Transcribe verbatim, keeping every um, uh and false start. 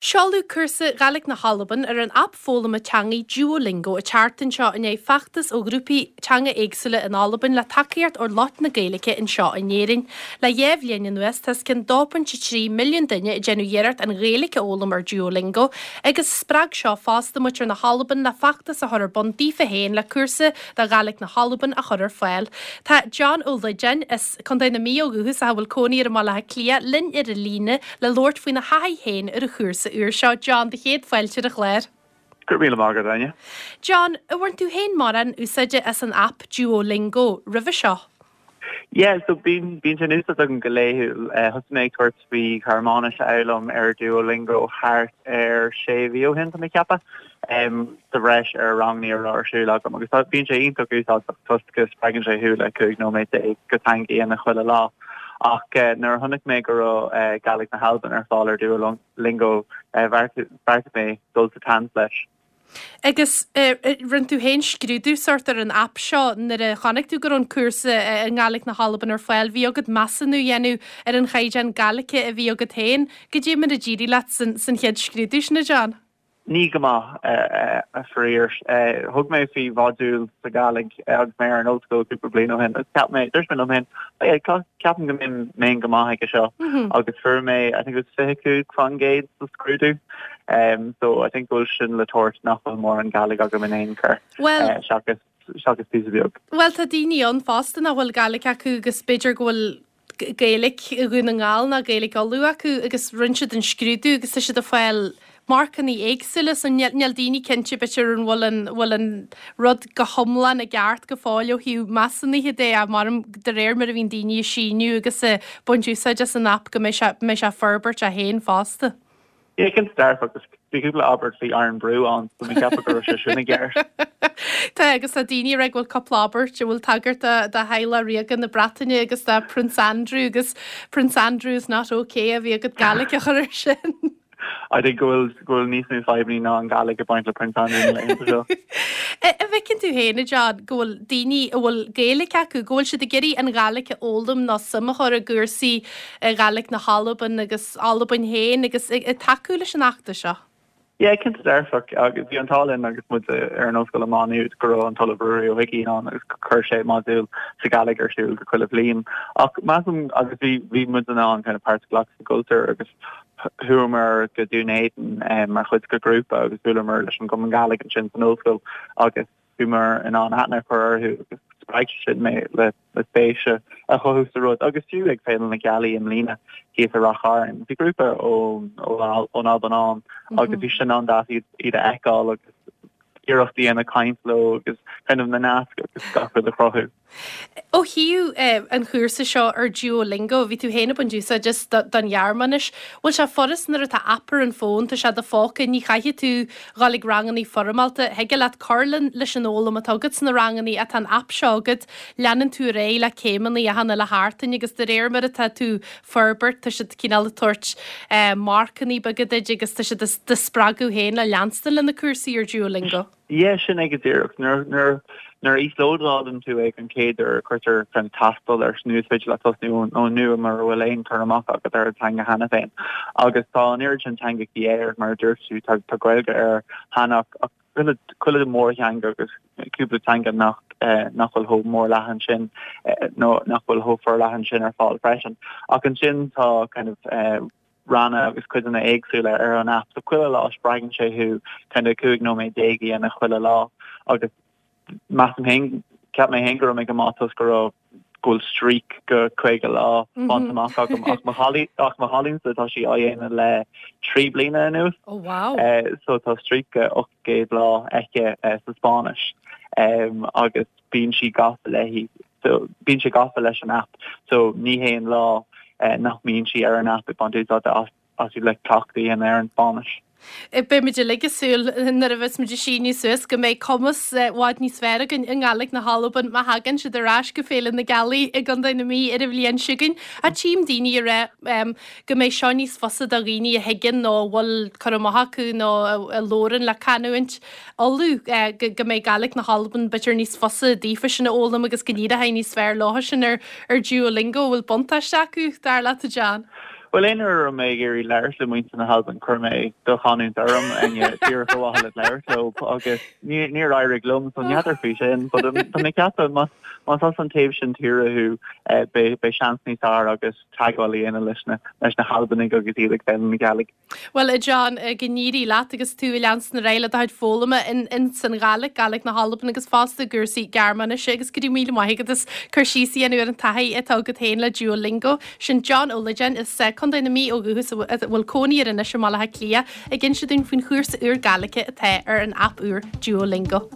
Seoladh cúrsa Gàidhlig na hAlban ar an aip foghlama teangaí Duolingo an tseachtain seo i ndiaidh feachtas ó ghrúpaí teanga éagsúla in Albain le tacaíocht ó lucht na Gaeilge anseo in Éirinn. Le dhá bhliain anuas tá os cionn dó pointe trí milliún duine ag déanamh iarracht an Ghaeilge a fhoghlaim ar Duolingo agus spreag seo fosta muintir na hAlban le feachtas a chur ar bun daofa féin le cúrsa do Ghàidhlig na hAlban a chur ar fáil. Tá John Ó Loideáin as Contae na Mí ó dhúchas a bhfuil cónaí air i mBaile Átha Cliath linn ar an líne le labhairt faoina thaithí féin ar an chúrsa úr seo John do chéad fáilte ar an chlár. Gur mí mágad aine. John, an bhain tú féin mórán úsáide as an aip Duolingo roimhe seo. Yeah, so bíonn bíonn sé in úsáid agam go laethúil thosaigh mé ag tabhairt faoi Ghearmáinis a fhoghlaim ar Duolingo thart ar sé mhí ó shin tá mé ag ceapadh. Um, sa bhreis ar ranganna a raibh ar siúl agam agus bíonn sé iontach úsáideach toisc go spreagann sé thú le cúig nóiméad déag go teanga a dhéanamh chuile lá. Ach uh, nuair a chonaic mé go raibh uh, Gàidhlig na hAlban ar fáil ar Duolingo uh, bheartaigh mé dul sa tseans leis. Agus rinne tú féin scrúdú sort ar an aip seo nuair a chonaic tú go raibh an cúrsa i nGàidhlig na hAlban ar fáil, bhí agat measúnú a dhéanamh ar an chaighdeán Gaeilge a bhí agat féin, goidé mar a d'éirigh leat san, san chéad scrúdú sin a John. Ní go maith a faraor thug mé faoi mhodúl sa Ghàidhlig agus mé ar an ollscoil cúpla bliain ó shin ceap mé dúirt mé liom féin ceapaim go mbeinn go maith aige seo agus fuair mé I think it was fiche cúig faoin gcéad sa scrúdú. Um, so I think go bhfuil sin le tabhairt nach bhfuil mórán Gàidhlig agam in aon chor Well, uh, seachas seachas píosa beag. Well tá daoine ann fosta nach bhfuil Gàidhlig acu agus b'fhéidir go bhfuil Gaeilge Dhún na nGall ná Gaeilge Uladh acu agus rinne siad an scrúdú agus tá siad ag fáil marcanna éagsúla so níl daoine cinnte b'fhéidir an bhfuil an bhfuil an rud go hiomlán i gceart go fóill ó thaobh measúnaithe de a mar de réir mar a bhíonn daoine ag síniú agus ag baint úsáid as an aip go mbeidh sé mbeidh sé forbairt é féin fosta. Yeah, cinnte dearfach agus bhí cúpla abairt faoi Irn-Bru ann so mé ceapadh go raibh sé sin i gceart. Tá agus tá daoine ag bhfuil cúpla abairt a bhfuil tagairt do theaghlach ríoga na Breataine agus do Prince Andrew agus Prince Andrew is not okay a bhí agat Gàidhlig a chur ar sin. I think go bhfuil go bhfuil níos mó fadhbanna ná an Gàidhlig ag baint le Prince Andrew na laethanta seo. An bhfeiceann tú féin John go bhfuil daoine a bhfuil Gaeilge acu, go bhfuil siad ag iarraidh an Ghàidhlig a fhoghlaim nó suim a chur i gcúrsaí Gàidhlig na hAlban agus Albain féin agus ag tacú leis an fheachtas seo. Yeah, cinnte dearfach agus bhí an t-ádh linn agus muid ar an ollscoil i Má Nuad go raibh an tOllamh Ruairí Ó hUiginn ann agus chuir sé modúl sa Ghàidhlig ar siúl go chuile bhliain. Ach measaim agus bhí bhí muid in ann kind of páirt a ghlacadh sa gcultúr agus chuamar go Dún Éideann um, mar chuid de ghrúpa agus bhuaileamar leis an gCumann Gàidhlig ansin san ollscoil agus bhíomar in ann aithne a chur orthu agus spreag sin mé le le spéis a chothú sa rud agus fiú ag Féile na Gealaí i mbliana thíos i Ráth Chairn. Bhí grúpa ón ón Albain ann agus bhí sin an-deas iad iad a fheiceáil agus iarracht a dhéanamh caint leo agus kind of na naisc agus gach rud a chruthú. Ó thaobh eh, an chúrsa seo ar Duolingo, bhí tú féin ag baint úsáid as don Ghearmáinis. Bhfuil sé furast nuair atá aip ar an bhfón, tá sé i do phóca, ní chaithfidh tú dhul ag ranganna foirmeálta, thig leat cur leis an fhoghlaim atá agat sna ranganna atá an aip seo agat, leanann tú ar aghaidh le céimeanna achan uile sheachtain agus de réir mar atá tú ag forbairt, tá siad cineál ag tabhairt eh, marcanna beaga duit agus tá siad do spreagadh féin le leanstan le na cúrsaí ar Duolingo. Yeah, sin é go díreach nuair nuair nuair a íoslódálann tú é an chéad uair cuirtear kind of tástáil ar sna féidir le tosnú ó nua mura bhfuil aon chur amach agat ar an teanga cheana féin. Agus tá an oiread sin teangacha air mar dúirt tú tá tá Gaeilge air cheana ach chuile chuile mórtheanga agus cúpla teanga nach eh, nach bhfuil chomh mór leathan sin eh, nó nach bhfuil chomh forleathan sin ar fáil freisin. Ach ansin tá kind of eh, ranna agus cuideanna éagsúla ar an app so chuile lá spreagann sé thú kind of cúig nóiméad déag a dhéanamh chuile lá agus measaim féin ceap mé féin go raibh mé go maith toisc go raibh go bhfuil streak go caoga lá bainte amach agam ach mo chailín ach mo chailínsa tá sí á dhéanamh le trí bliana anuas. Oh wow. Uh, so tá streak go ocht gcéad lá aici uh, sa Spáinnis um, agus bíonn sí gafa léi so bíonn sé gafa leis an app so ní haon lá uh, nach mbíonn sí ar an app ag baint úsáid as as le cleachtadh ar an Spáinnis. Beimid uilig ag súil nuair a bheas muid ag síniú suas go mbeidh cumas i bhfad níos fearr againn i nGàidhlig na hAlban má thagann siad ar ais go Féile na Gealaí i gContae na Mí ar an bhliain seo chugainn. A tchím daoine ag rá go mbeidh seo níos fusa do dhaoine a thuigeann nó a bhfuil cur amach acu nó a labhrann le canúint Uladh go mbeidh Gàidhlig na hAlban b'fhéidir níos fusa daofa sin a fhoghlaim agus go n-éireoidh níos fearr leo sin ar ar Duolingo bhfuil buntáiste acu dar leat a John. Well aon uair a raibh mé ag iarraidh labhairt le muintir na hAlban chuir mé do chanúint orm díreach ar mhaithe le labhairt leo agus níor éirigh liom so n'fheadar faoi sin, but um, tá mé ag ceapadh más más as an taobh sin tíre thú eh, beidh beidh seans níos fearr agat teagmháil a dhéanamh leis na leis na hAlbanaigh agus iad ag foghlaim na Gàidhlig. Well a John go n-éirí leat agus tú ag leanstan ar aghaidh le do chuid foghlama in in san Ghàidhlig, Gàidhlig na hAlban agus fosta i gcúrsaí Gearmáinise agus go raibh míle maith agat as cur síos a dhéanamh ar an taithí atá agat féin le Duolingo. Sin John Ó Loideáin as Contae na Mí ó dhúchas a bhfuil cónaí air anois i mBaile Átha Cliath ag inse dúinn faoin chúrsa úr Gàidhlige atá ar an aip úr Duolingo.